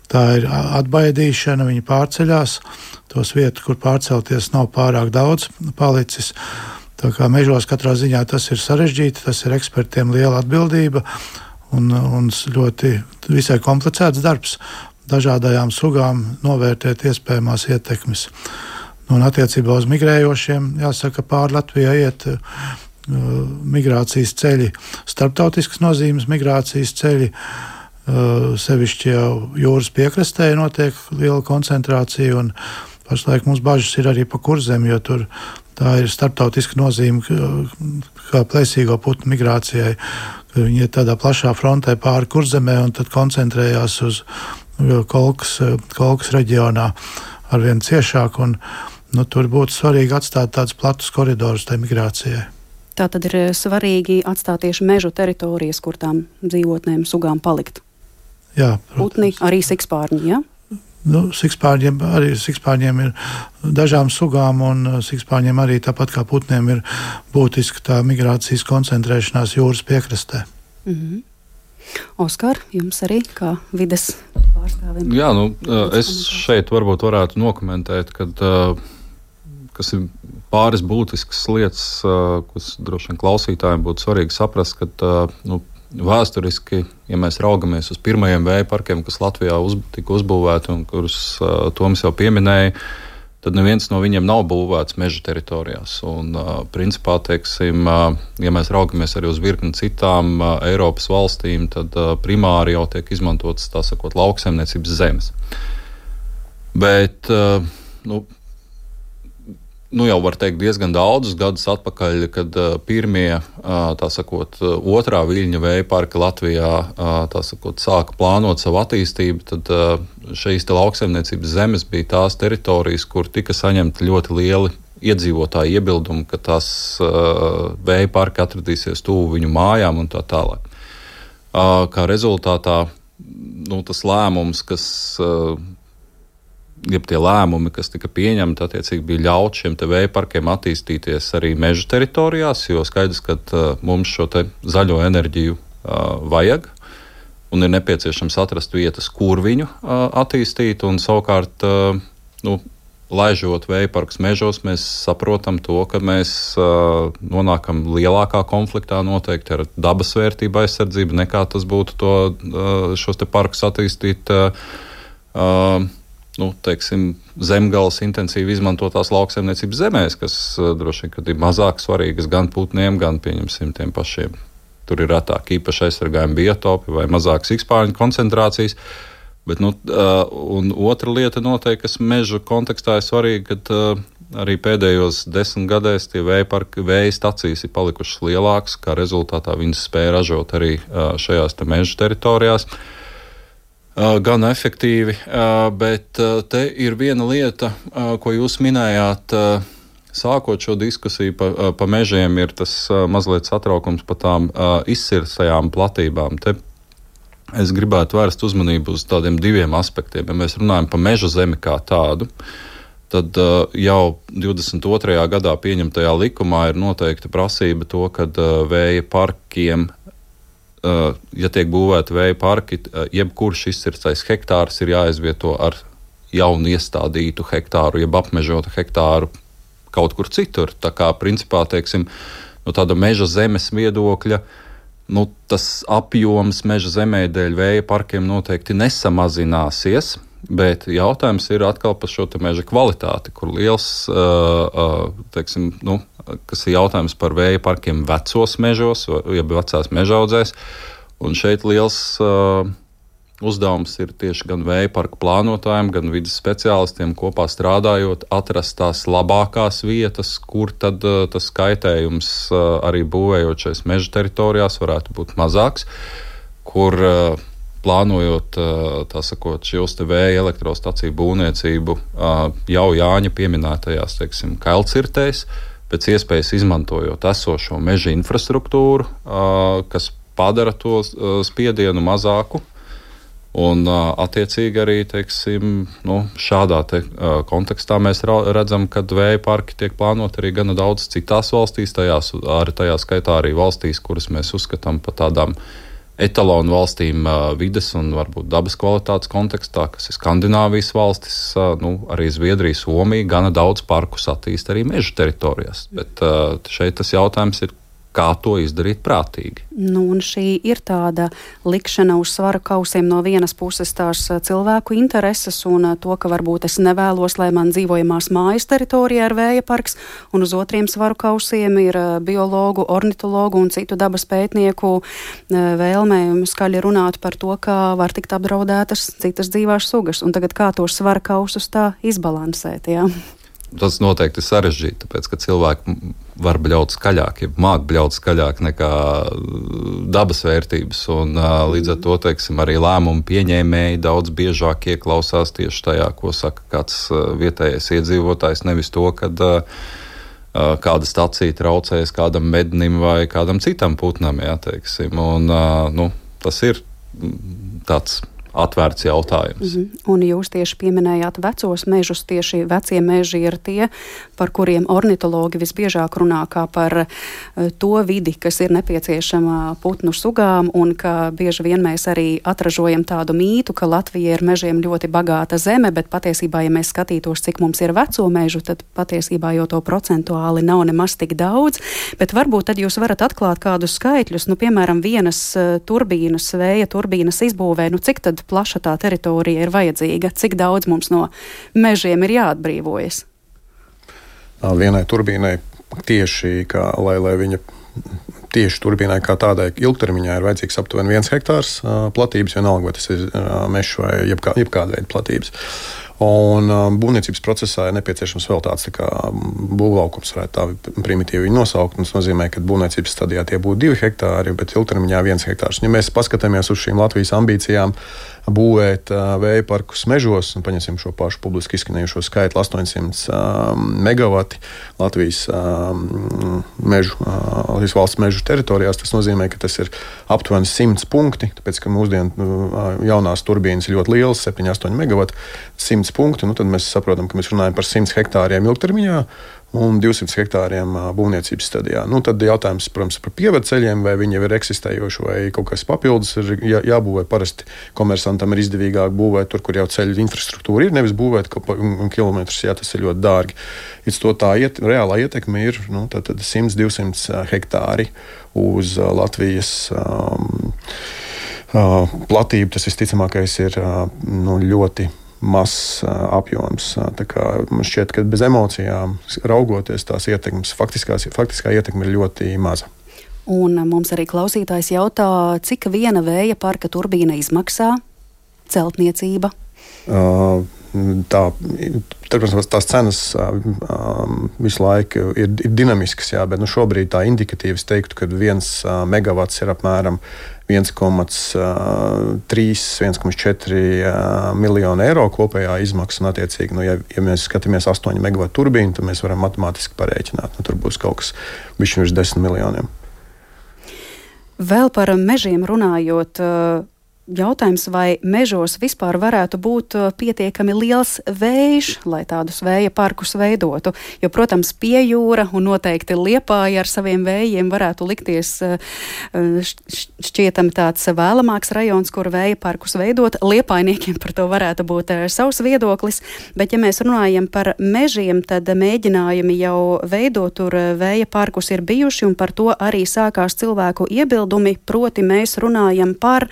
tā ir atbaidīšana, viņi pārceļās, tos vietu, kur pārcelties nav pārāk daudz palicis. Tā kā mežos katrā ziņā tas ir sarežģīti, tas ir ekspertiem liela atbildība un ļoti visai komplicēts darbs dažādajām sugām novērtēt iespējamās ietekmes. Un attiecībā uz migrējošiem, jāsaka, pāri Latvijai iet migrācijas ceļi, starptautiskas nozīmes migrācijas ceļi, sevišķi jau jūras piekrastē notiek liela koncentrācija, un pašlaik mums bažas ir arī pa Kurzemi, jo tur tā ir starptautiska nozīme kā plēsīgo putnu migrācijai. Viņi ir tādā plašā frontē pāri Kurzemē un tad koncentrējās uz Kolkas reģionā arvien ciešāk. Tur būtu svarīgi atstāt tādus platus koridorus tai migrācijai. Tā tad ir svarīgi atstāt tieši mežu teritorijas, kur tām dzīvotnēm sugām palikt. Jā, putni, arī sikspārņi, ja? Sikspārņiem ir dažām sugām, un sikspārņiem arī tāpat kā putniem ir būtiska tā migrācijas koncentrēšanās jūras piekrastē. Oskar, jums arī kā vides pārstāvim? Jā, es šeit varbūt varētu nokomentēt, kas ir pāris būtiskas lietas, kas droši vien klausītājiem būtu svarīgi saprast, ka vēsturiski, ja mēs raugamies uz pirmajiem vēja parkiem, kas Latvijā tika uzbūvēti un kurus Toms jau pieminēja, tad neviens no viņiem nav būvēts meža teritorijās. Un, principā, teiksim, ja mēs raugamies arī uz virkni citām Eiropas valstīm, tad primāri jau tiek izmantotas, tā sakot, lauksaimniecības zemes. Bet, jau var teikt diezgan daudzus gadus atpakaļ, kad pirmie, tā sakot, otrā viļņa vēja parka Latvijā, tā sakot, sāka plānot savu attīstību, tad šīs te lauksaimniecības zemes bija tās teritorijas, kur tika saņemti ļoti lieli iedzīvotāju iebildumi, ka tās vēja parki atradīsies tuvu viņu mājām un tā tālāk. Kā rezultātā, tas lēmums, tie lēmumi, kas tika pieņemti, attiecīgi bija ļaut šiem te vēja parkiem attīstīties arī meža teritorijās, jo skaidrs, ka mums šo te zaļo enerģiju vajag un ir nepieciešams atrast vietas, kur viņu attīstīt, un savukārt, laižot vēja parkus mežos, mēs saprotam to, ka mēs nonākam lielākā konfliktā noteikti ar dabas vērtību aizsardzību, nekā tas būtu šos te parkus attīstīt zemgales intensīvi izmantotās lauksaimniecības zemēs, kas droši vien ir mazāk svarīgas gan putniem, gan pieņemsim tiem pašiem. Tur ir retāk īpaši aizsargājumi biotopi vai mazākas ikspārņu koncentrācijas. Bet, un otra lieta noteikti, kas meža kontekstā ir svarīga, kad arī pēdējos 10 gadēs tie vēja stacijas ir palikušas lielākas, kā rezultātā viņas spēja ražot arī šajās te meža teritorijās. Gan efektīvi, bet te ir viena lieta, ko jūs minējāt, sākot šo diskusiju pa mežiem, ir tas mazliet satraukums par tām izcirstajām platībām. Te es gribētu vērst uzmanību uz tādiem diviem aspektiem. Ja mēs runājam par meža zemi kā tādu, tad jau 22. gadā pieņemtajā likumā ir noteikta prasība to, ka vēja parkiem, ja tiek būvēti vēja parki, jebkurš izcirstais hektārs ir jāizvieto ar jaunu iestādītu hektāru, jeb apmežotu hektāru kaut kur citur. Tā kā principā, teiksim, no tāda meža zemes viedokļa, tas apjoms meža zemē dēļ vēja parkiem noteikti nesamazināsies, bet jautājums ir atkal par šo te meža kvalitāti, kur liels, teiksim, kas ir jautājums par vēja parkiem vecos mežos, jeb vecās mežaudzēs, un šeit liels uzdevums ir tieši gan vēja parku plānotājiem, gan vides speciālistiem kopā strādājot, atrast tās labākās vietas, kur tad tas kaitējums arī būvējot šais meža teritorijās varētu būt mazāks, kur plānojot, tā sakot, šos te vēja elektrostaciju būvniecību jau Jāņa pieminētajās, teiksim, kailcirtēs, pēc iespējas izmantojot esošo meža infrastruktūru, kas padara to spiedienu mazāku. Un attiecīgi arī, teiksim, šādā kontekstā mēs redzam, ka vēja parki tiek plānoti arī gana daudz citās valstīs, tajā skaitā arī valstīs, kuras mēs uzskatām par tādām etalonu valstīm vides un varbūt dabas kvalitātes kontekstā, kas ir Skandināvijas valstis, arī Zviedrija, Somija, gana daudz parkus attīst arī meža teritorijās. Bet šeit tas jautājums ir, kā to izdarīt prātīgi. Un šī ir tāda likšana uz svara kausiem no vienas puses tās cilvēku intereses un to, ka varbūt es nevēlos, lai man dzīvojamās mājas teritorijā ir vēja parks, un uz otriem svaru kausiem ir biologu, ornitologu un citu dabas pētnieku vēlmē skaļi runāt par to, kā var tikt apdraudētas citas dzīvās sugas. Un tagad kā tos svara kausus tā izbalansēt, jā? Tas noteikti ir sarežģīti, tāpēc, ka cilvēki var bļaut skaļāk, ja māk bļaut skaļāk nekā dabas vērtības, un līdz ar to, teiksim, arī lēmumu pieņēmēji daudz biežāk ieklausās tieši tajā, ko saka kāds vietējais iedzīvotājs, nevis to, kad kāda stacija traucējas kādam mednim vai kādam citam putnam, jā, teiksim, un tas ir tāds atvērts jautājums. Un jūs tieši pieminējāt vecos mežus, tieši vecie meži ir tie, par kuriem ornitologi visbiežāk runā kā par to vidi, kas ir nepieciešama putnu sugām, un ka bieži vien mēs arī atražojam tādu mītu, ka Latvija ir mežiem ļoti bagāta zeme, bet patiesībā, ja mēs skatītos, cik mums ir veco mežu, tad patiesībā jau to procentuāli nav nemaz tik daudz, bet varbūt tad jūs varat atklāt kādus skaitļus, piemēram, vienas turbīnas, vēja turbīnas izbūvē, cik tad plaša tā teritorija ir vajadzīga, cik daudz mums no mežiem ir jāatbrīvojas? Vienai turbīnai tieši, lai viņa tieši turbīnai kā tādai ilgtermiņā ir vajadzīgs aptuveni 1 hektārs platības, vienalga, vai tas ir mežs vai jebkāda veida platības. Un būvniecības procesā ir nepieciešams vēl tāds tā kā būvlaukums, varētu tā primitīvi viņu nosaukt. Tas nozīmē, ka būvniecības stadijā tie būtu 2 hektāri, bet ilgtermiņā 1 hektārs. Ja mēs paskatāmies uz šīm Latvijas ambīcijām būvēt vēja parkus mežos, un paņemsim šo pašu publiski izskanējušo skaitli 800 megawati Latvijas Latvijas valsts mežu teritorijās, tas nozīmē, ka tas ir aptuveni 100 punkti, tāpēc, ka mūsdienu jaunās turbīnas ir ļoti lielas, 7-8 megawati, 100 punkti, tad mēs saprotam, ka mēs runājam par 100 hektāriem ilgtermiņā un 200 hektāriem būvniecības stadijā. Tad jautājums, protams, par pievedceļiem, vai viņi jau ir eksistējoši, vai kaut kas papildus ir jābūvē. Parasti komersantam ir izdevīgāk būvēt tur, kur jau ceļu infrastruktūra ir, nevis būvēt kilometrus, jā, tas ir ļoti dārgi. Tā reālā ietekme ir 100-200 hektāri uz Latvijas platību. Tas visticamākais ir ļoti mazs apjoms. Man šķiet, ka bez emocijām raugoties tās ietekmes, faktiskā ietekme ir ļoti maza. Un mums arī klausītājs jautā, cik viena vēja parka turbīna izmaksā celtniecība? Tās cenas visu laiku ir dinamiskas, jā, bet šobrīd tā indikatīvi es teiktu, ka 1 megawats ir apmēram 1,4 miljonu eiro kopējā izmaksa. Un, attiecīgi, ja mēs skatāmies 8 megawatu turbīnu, tad mēs varam matemātiski parēķināt. Tur būs kaut kas bišķi virs 10 miljoniem. Vēl par mežiem runājot, jautājums, vai mežos vispār varētu būt pietiekami liels vējš, lai tādus vēja parkus veidotu. Jo, protams, Piejūra un noteikti Liepāja ar saviem vējiem varētu likties šķietami tāds vēlamāks rajons, kur vēja parkus veidot. Liepājniekiem par to varētu būt savs viedoklis, bet ja mēs runājam par mežiem, tad mēģinājumi jau veidot tur vēja parkus ir bijuši, un par to arī sākās cilvēku iebildumi, proti mēs runājam par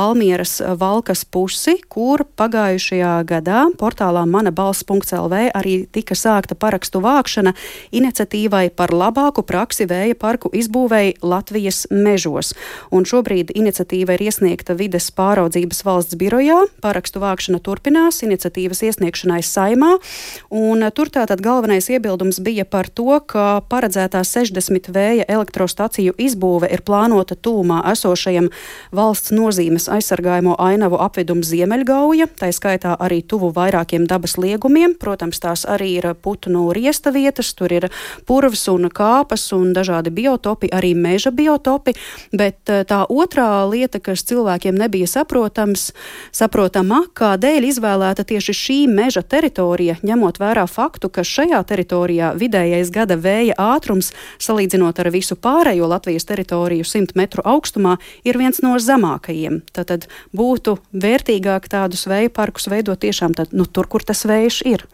Valmieras Valkas pusi, kur pagājušajā gadā portālā manabalss.lv arī tika sākta parakstu vākšana iniciatīvai par labāku praksi vēja parku izbūvēi Latvijas mežos. Un šobrīd iniciatīva ir iesniegta Vides pāraudzības valsts birojā. Parakstu vākšana turpinās iniciatīvas iesniegšanai Saimā. Un tur tātad galvenais iebildums bija par to, ka paredzētā 60 vēja elektrostaciju izbūve ir plānota tūmā esošajam valsts nozīmes aizsargājamo ainavu apvidumu Ziemeļgauja, tā skaitā arī tuvu vairākiem dabas liegumiem. Protams, tās arī ir putnu riesta vietas, tur ir purvs un kāpas un dažādi biotopi, arī meža biotopi, bet tā otrā lieta, kas cilvēkiem nebija saprotama, kādēļ izvēlēta tieši šī meža teritorija, ņemot vērā faktu, ka šajā teritorijā vidējais gada vēja ātrums, salīdzinot ar visu pārējo Latvijas teritoriju 100 metru augstumā, ir viens no zemākajiem. Tad būtu vērtīgāk tādus vēja parkus veidot tiešām tur, kur tas vējš ir.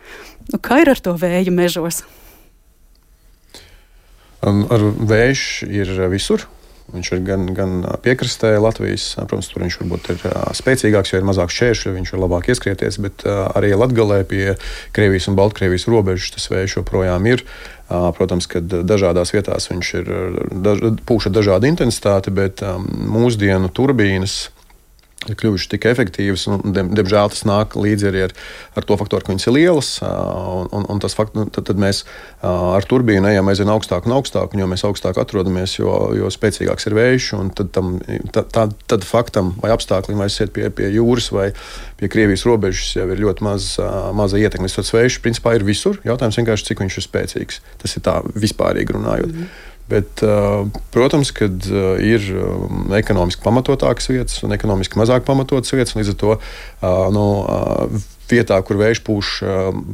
Kā ir ar to vēju mežos? Ar vējš ir visur. Viņš ir gan piekrastē Latvijas, protams, tur viņš varbūt ir spēcīgāks, jo ir mazāk šķēršļu, viņš var labāk ieskrieties, bet arī Latgalē pie Krievijas un Baltkrievijas robežas tas vējš joprojām ir. Protams, ka dažādās vietās viņš ir pūš ar dažādu intensitāti, bet mūsdienu turbīnas ir kļuvušas tik efektīvas, un diemžēl tas nāk līdzi arī ar to faktoru, ka viņas ir lielas, un tas tad mēs ar turbīnu ejam aizvien augstāk un augstāk, un jo mēs augstāk atrodamies, jo spēcīgāks ir vējš, un tad faktam vai apstākļiem vai aiziet pie jūras vai pie Krievijas robežas jau ir ļoti maza ietekme. Tas vējš principā ir visur, jautājums vienkārši, cik viņš ir spēcīgs. Tas ir tā vispārīgi runājot. Bet, protams, kad ir ekonomiski pamatotākas vietas un ekonomiski mazāk pamatotas vietas, līdz ar to vietā, kur vējš pūš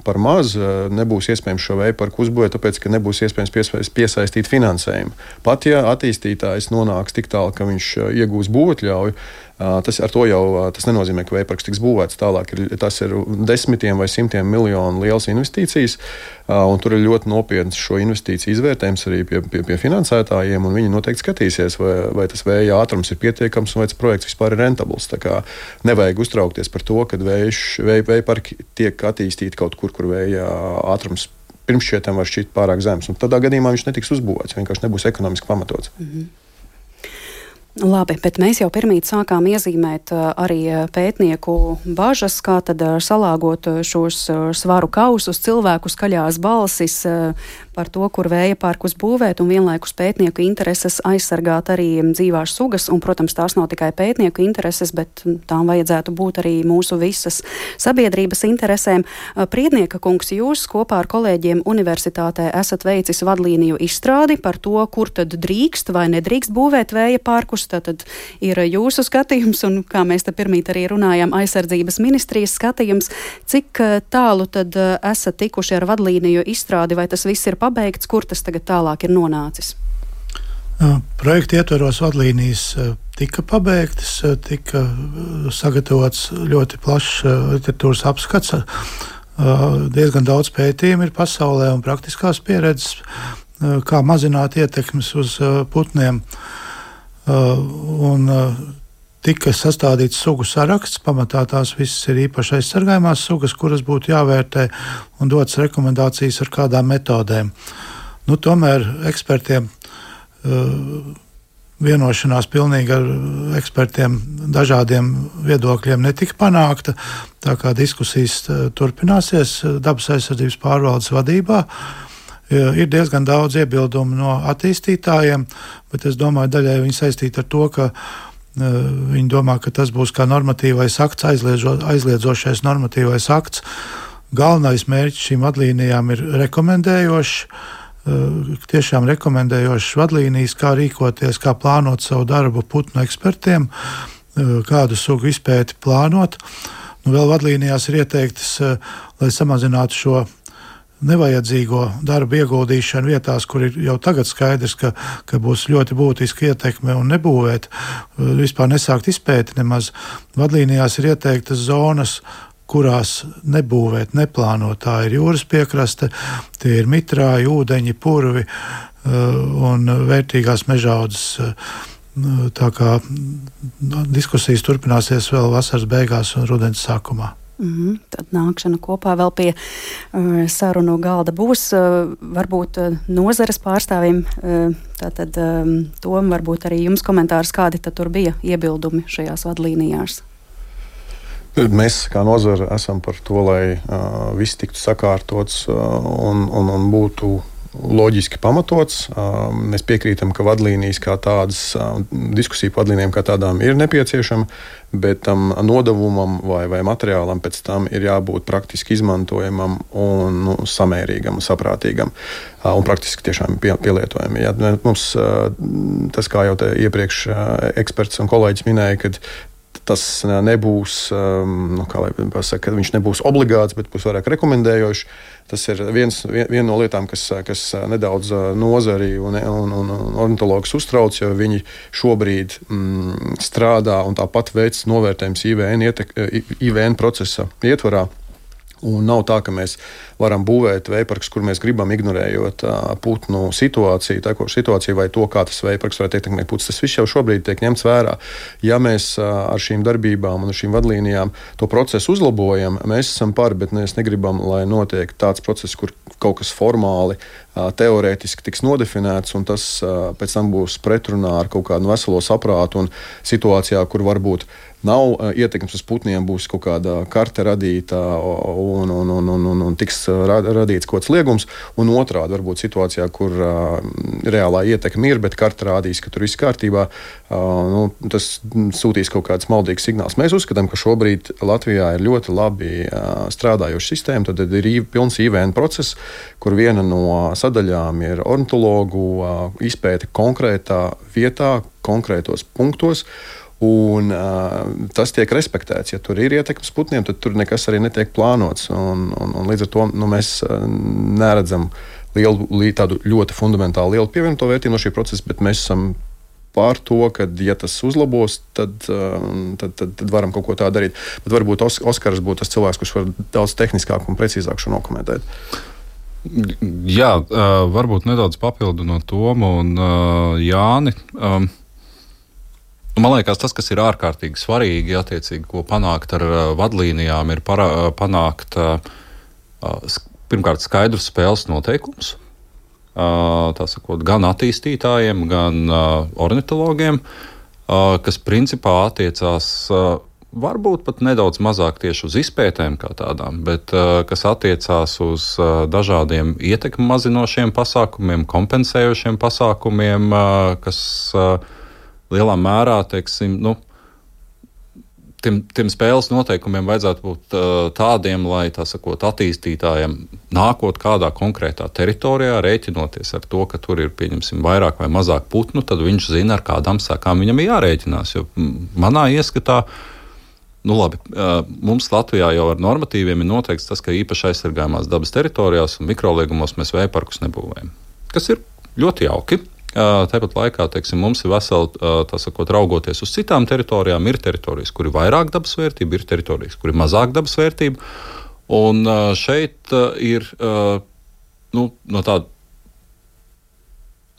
par maz, nebūs iespējams šo vēja parku uzbūvēt, tāpēc, ka nebūs iespējams piesaistīt finansējumu. Pat ja attīstītājs nonāks tik tālu, ka viņš iegūs būvatļauju, tas nenozīmē, ka vēja parks tiks būvēts tālāk. Tas ir desmitiem vai simtiem miljonu lielas investīcijas, un tur ir ļoti nopietns šo investīciju izvērtējums arī pie finansētājiem, un viņi noteikti skatīsies, vai tas vēja ātrums ir pietiekams un vai tas projekts vispār ir rentabls. Tā kā nevajag uztraukties par to, ka vēja parki tiek attīstīti kaut kur vēja ātrums pirms šķietam var šķiet pārāk zems. Un tādā gadījumā viņš netiks uzbūvēts, vienkārši nebūs ekonomiski pamatots. Labi, bet mēs jau pirmīt sākām iezīmēt arī pētnieku bažas, kā tad salāgot šos svaru kausus, cilvēku skaļās balsis par to, kur vēja parkus būvēt, un vienlaikus pētnieku intereses aizsargāt arī dzīvās sugas, un, protams, tās nav tikai pētnieku intereses, bet tām vajadzētu būt arī mūsu visas sabiedrības interesēm. Priednieka kungs, jūs kopā ar kolēģiem universitātē esat veicis vadlīniju izstrādi par to, kur tad drīkst vai nedrīkst būvēt vēja parkus. Tātad ir jūsu skatījums, un kā mēs te pirmīt arī runājām, aizsardzības ministrijas skatījums. Cik tālu tad esat tikuši ar vadlīniju izstrādi, vai tas viss ir pabeigts, kur tas tagad tālāk ir nonācis? Projekta ietveros vadlīnijas tika pabeigtas, tika sagatavots ļoti plašs literatūras apskats. Diezgan daudz pētījumu ir pasaulē un praktiskās pieredzes, kā mazināt ietekmes uz putniem. Un tika sastādīts sugu saraksts, pamatā tās visas ir īpaši aizsargājumās sugas, kuras būtu jāvērtē un dotas rekomendācijas ar kādām metodēm. Tomēr ekspertiem vienošanās pilnīgi ar ekspertiem dažādiem viedokļiem netika panākta, tā kā diskusijas turpināsies dabas aizsardzības pārvaldes vadībā. Ir diezgan daudz iebildumu no attīstītājiem, bet es domāju, daļai viņi saistīti ar to, ka viņi domā, ka tas būs kā normatīvais akts, aizliedzošais normatīvais akts. Galvenais mērķis šīm vadlīnijām ir rekomendējošs, tiešām rekomendējošas vadlīnijas, kā rīkoties, kā plānot savu darbu putnu ekspertiem, kādu sugu izpēti plānot. Vēl vadlīnijās ir ieteiktas, lai samazinātu šo nevajadzīgo darbu ieguldīšanu vietās, kur ir jau tagad skaidrs, ka būs ļoti būtiska ietekme un nebūvēt, vispār nesākt izpēti nemaz. Vadlīnijās ir ieteiktas zonas, kurās nebūvēt, neplānot. Tā ir jūras piekraste, tie ir mitrāji, ūdeņi, purvi un vērtīgās mežaudzes. Tā kā diskusijas turpināsies vēl vasaras beigās un rudens sākumā. Tad nākšana kopā vēl pie sarunu galda būs. Varbūt nozares pārstāvim, tātad Tom, varbūt arī jums komentārs, kādi tad tur bija iebildumi šajās vadlīnijās? Mēs kā nozara esam par to, lai viss tiktu sakārtots un būtu loģiski pamatots. Mēs piekrītam, ka vadlīnijas kā tādas, diskusiju par vadlīnijām kā tādām ir nepieciešama, bet tam nodevumam vai materiālam pēc tam ir jābūt praktiski izmantojamam un samērīgam, saprātīgam un praktiski tiešām pielietojami. Ja, mums tas, kā jau te iepriekš eksperts un kolēģis minēja, kad tas nebūs, kā lai pasaka, ka viņš nebūs obligāts, bet būs vairāk rekomendējošs. Tas ir viena no lietām, kas nedaudz nozari un ornitologus uztrauc, jo viņi šobrīd strādā un tāpat veic novērtējums IVN procesa ietvarā. Un nav tā, ka mēs varam būvēt vējparkus, kur mēs gribam, ignorējot putnu situāciju, tekošu situāciju vai to, kā tas vējparks varētu ietekmēt putnus. Tas viss jau šobrīd tiek ņemts vērā. Ja mēs ar šīm darbībām un ar šīm vadlīnijām to procesu uzlabojam, mēs esam par, bet mēs negribam, lai notiek tāds process, kur kaut kas formāli, teorētiski tiks nodefinēts, un tas pēc tam būs pretrunā ar kaut kādu veselo saprātu un situācijā, kur varbūt nav ietekmes uz putniem, būs kaut kāda karte radīta un tiks radīts kaut kāds liegums, un otrādi varbūt situācijā, kur reālā ietekme ir, bet karte rādīs, ka tur viss kārtībā, tas sūtīs kaut kāds maldīgs signāls. Mēs uzskatām, ka šobrīd Latvijā ir ļoti labi strādājoša sistēma, tad ir pilns IVN process, kur viena no sadaļām ir ornitologu izpēte konkrētā vietā, konkrētos punktos. Un tas tiek respektēts. Ja tur ir ietekmes putniem, tad tur nekas arī netiek plānots. Un līdz ar to mēs neredzam tādu ļoti fundamentālu lielu pievienoto vērtību no šī procesa, bet mēs esam pār to, ka, ja tas uzlabos, tad varam kaut ko tādu darīt. Bet varbūt Oskars būtu tas cilvēks, kurš var daudz tehniskāk un precīzāk šo nokomentēt. Jā, varbūt nedaudz papildinot Tomu un Jāni. Man liekas, tas, kas ir ārkārtīgi svarīgi, attiecīgi, ko panākt ar vadlīnijām, ir panākt pirmkārt skaidrus spēles noteikumus, tā sakot, gan attīstītājiem, gan ornitologiem. kas principā attiecās varbūt pat nedaudz mazāk tieši uz izpētēm kā tādām, bet kas attiecās uz dažādiem ietekmi mazinošiem pasākumiem, kompensējošiem pasākumiem, kas lielā mērā, teiksim, tiem spēles noteikumiem vajadzētu būt tādiem, lai, tā sakot, attīstītājiem nākot kādā konkrētā teritorijā, rēķinoties ar to, ka tur ir, pieņemsim, vairāk vai mazāk putnu, tad viņš zina, ar kādām sekām viņam jārēķinās. Jo manā ieskatā, labi, mums Latvijā jau ar normatīviem ir noteikts tas, ka īpaši aizsargājumās dabas teritorijās un mikroliegumos mēs vēja parkus nebūvējam. Kas ir ļoti jauki. Tāpat laikā, teiksim, mums ir veseli, tā sakot, raugoties uz citām teritorijām, ir teritorijas, kur ir vairāk dabas vērtība, ir teritorijas, kur ir mazāk dabas vērtība. Un šeit ir no tāda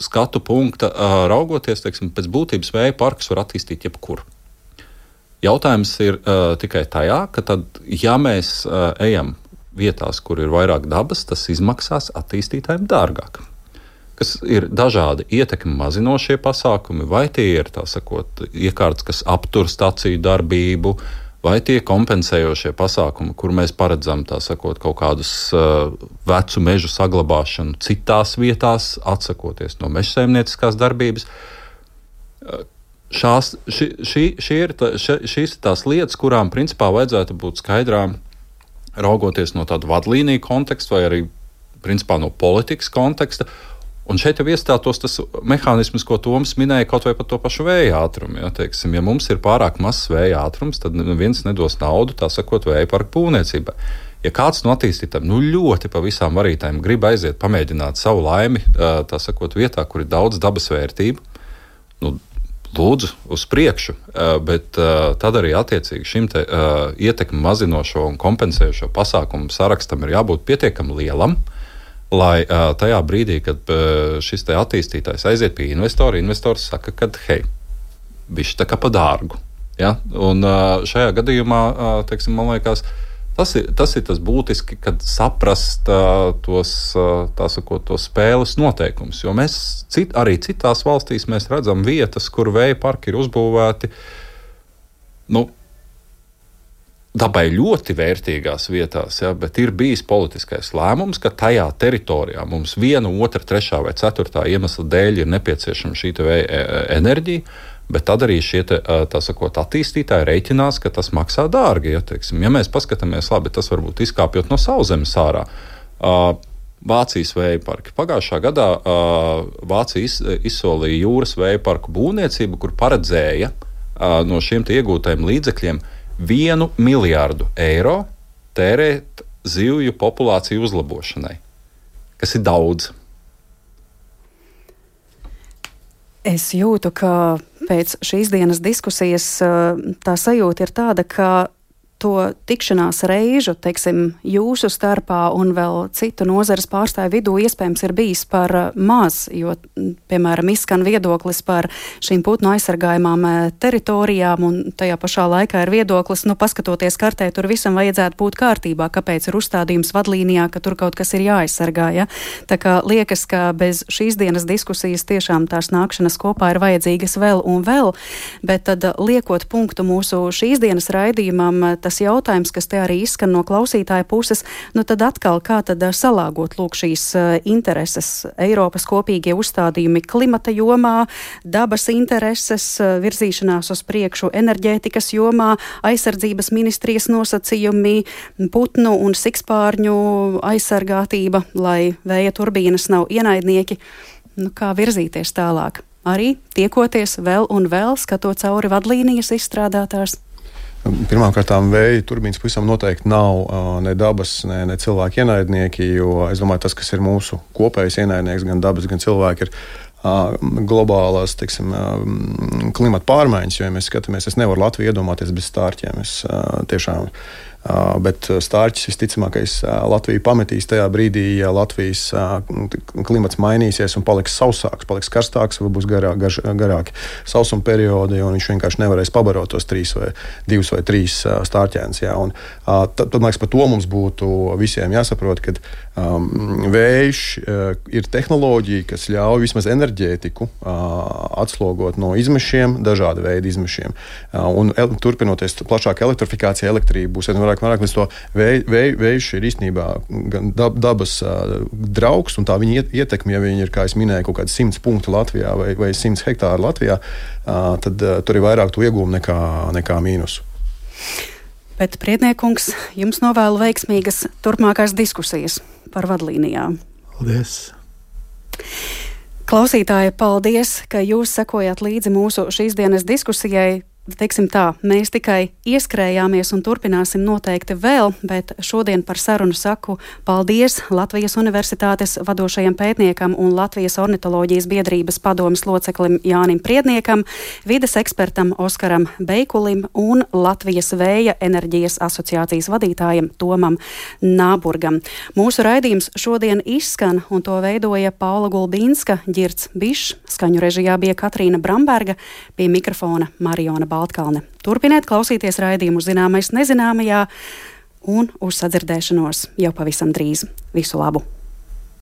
skatu punkta raugoties, teiksim, pēc būtības vēja parkus var attīstīt jebkur. Jautājums ir tikai tajā, ka tad, ja mēs ejam vietās, kur ir vairāk dabas, tas izmaksās attīstītājiem dārgāk. Kas ir dažādi ietekmi mazinošie pasākumi, vai tie ir, tā sakot, iekārtas, kas aptur staciju darbību, vai tie kompensējošie pasākumi, kur mēs paredzam, tā sakot, kaut kādus vecu mežu saglabāšanu citās vietās, atsakoties no mežsaimnieciskās darbības. Šīs ir tās lietas, kurām principā vajadzētu būt skaidrām, raugoties no tāda vadlīnija konteksta vai arī principā no politikas konteksta. Un šeit jau iestātos tas mehānisms, ko Toms minēja, kaut vai par to pašu vēja ātrumu. Ja, teiksim, ja mums ir pārāk mazs vēja ātrums, tad neviens nedos naudu, tā sakot, vēja parku būvniecībai. Ja kāds no attīstītājiem ļoti pa visām varītēm grib aiziet pamēģināt savu laimi, tā sakot, vietā, kur ir daudz dabas vērtību, lūdzu uz priekšu, bet tad arī attiecīgi šim te ietekmi mazinošo un kompensējošo pasākumu sarakstam ir jābūt pietiekami lielam, lai tajā brīdī, kad šis te attīstītājs aiziet pie investora, investors saka, ka hei, bišķi tā kā pa dārgu. Ja? Un šajā gadījumā, teiksim, man liekas, tas ir tas būtiski, kad saprast tos, tā sakot, tos spēles noteikumus. Jo mēs arī citās valstīs mēs redzam vietas, kur vēja parki ir uzbūvēti, dabai ļoti vērtīgās vietās, ja, bet ir bijis politiskais lēmums, ka tajā teritorijā mums 1, 2, 3 vai 4 iemesla dēļ ir nepieciešama šī vēja enerģija, bet tad arī šie tā sakot, attīstītāji reiķinās, ka tas maksā dārgi. Ja, teiksim, ja mēs paskatāmies labi, tas varbūt izkāpjot no sauszemes ārā. Vācijas vēja parki. Pagājušā gadā Vācija izsolīja jūras vēja parku būvniecību, kur paredzēja no šiem iegūtajiem līdzekļiem 1 miljārdu eiro tērēt zivju populāciju uzlabošanai, kas ir daudz. Es jūtu, ka pēc šīs dienas diskusijas tā sajūta ir tāda, ka to tikšanās reižu, teiksim, jūsu starpā un vēl citu nozares pārstāvju vidū iespējams ir bijis par maz, jo, piemēram, izskan viedoklis par šīm putnu aizsargājumām teritorijām un tajā pašā laikā ir viedoklis, paskatoties kartē, tur visam vajadzētu būt kārtībā, kāpēc ir uzstādījums vadlīnijā, ka tur kaut kas ir jāaizsargā, ja? Tā kā liekas, ka bez šīs dienas diskusijas tiešām tās nākšanas kopā ir vajadzīgas vēl un vēl, bet tad liekot punktu mūsu šīs dienas raidījumam, tas jautājums, kas te arī izskan no klausītāja puses, tad atkal kā tad salāgot lūk šīs intereses, Eiropas kopīgie uzstādījumi klimata jomā, dabas intereses, virzīšanās uz priekšu enerģētikas jomā, aizsardzības ministrijas nosacījumi, putnu un sikspārņu aizsargātība, lai vēja turbīnas nav ienaidnieki. Kā virzīties tālāk? Arī tiekoties vēl un vēl, skatot cauri vadlīnijas izstrādātās? Pirmkārt, vēja turbīnas pavisam noteikti nav ne dabas, ne cilvēku ienaidnieki, jo es domāju, tas, kas ir mūsu kopējais ienaidnieks, gan dabas, gan cilvēki, ir globālās, teiksim, klimata pārmaiņas, jo, ja mēs skatāmies, es nevaru Latviju iedomāties bez stārķiem. Es tiešām Bet stārķis visticamākais Latviju pametīs tajā brīdī, ja Latvijas klimats mainīsies un paliks sausāks, paliks karstāks, vai būs garāki sausuma periodi, un viņš vienkārši nevarēs pabarot tos 2 vai 3 stārķēnus. Tad, man liekas, par to mums būtu visiem jāsaprot, ka vējš ir tehnoloģija, kas ļauj vismaz enerģētiku atslogot no izmešiem, dažāda veida izmešiem. Un turpinoties plašāk elektrifikācija, elektrība būs vairāk līdz to vējš ir īstenībā dabas draugs, un tā viņa ietekme, ja viņi ir, kā es minēju, kaut kādi 100 punkti Latvijā vai 100 hektāri Latvijā, tad tur ir vairāk to iegūmu nekā mīnusu. Bet, Priedniekungs, jums novēlu veiksmīgas turpmākās diskusijas par vadlīnijām. Paldies! Klausītāji, paldies, ka jūs sekojat līdzi mūsu šīs dienas diskusijai. Teiksim tā, mēs tikai ieskrējāmies un turpināsim noteikti vēl, bet šodien par sarunu saku paldies Latvijas Universitātes vadošajam pētniekam un Latvijas ornitoloģijas biedrības padomes loceklim Jānim Priedniekam, vides ekspertam Oskaram Beikulim un Latvijas Vēja enerģijas asociācijas vadītājam Tomam Nāburgam. Mūsu raidījums šodien izskan, un to veidoja Paula Gulbīnska, Ģirds Bišs, skaņu režijā bija Katrīna Bramberga, pie mikrofona Mariona Baltkalne. Turpiniet klausīties raidījumu Zināmais nezināmajā un uz sadzirdēšanos jau pavisam drīz. Visu labu!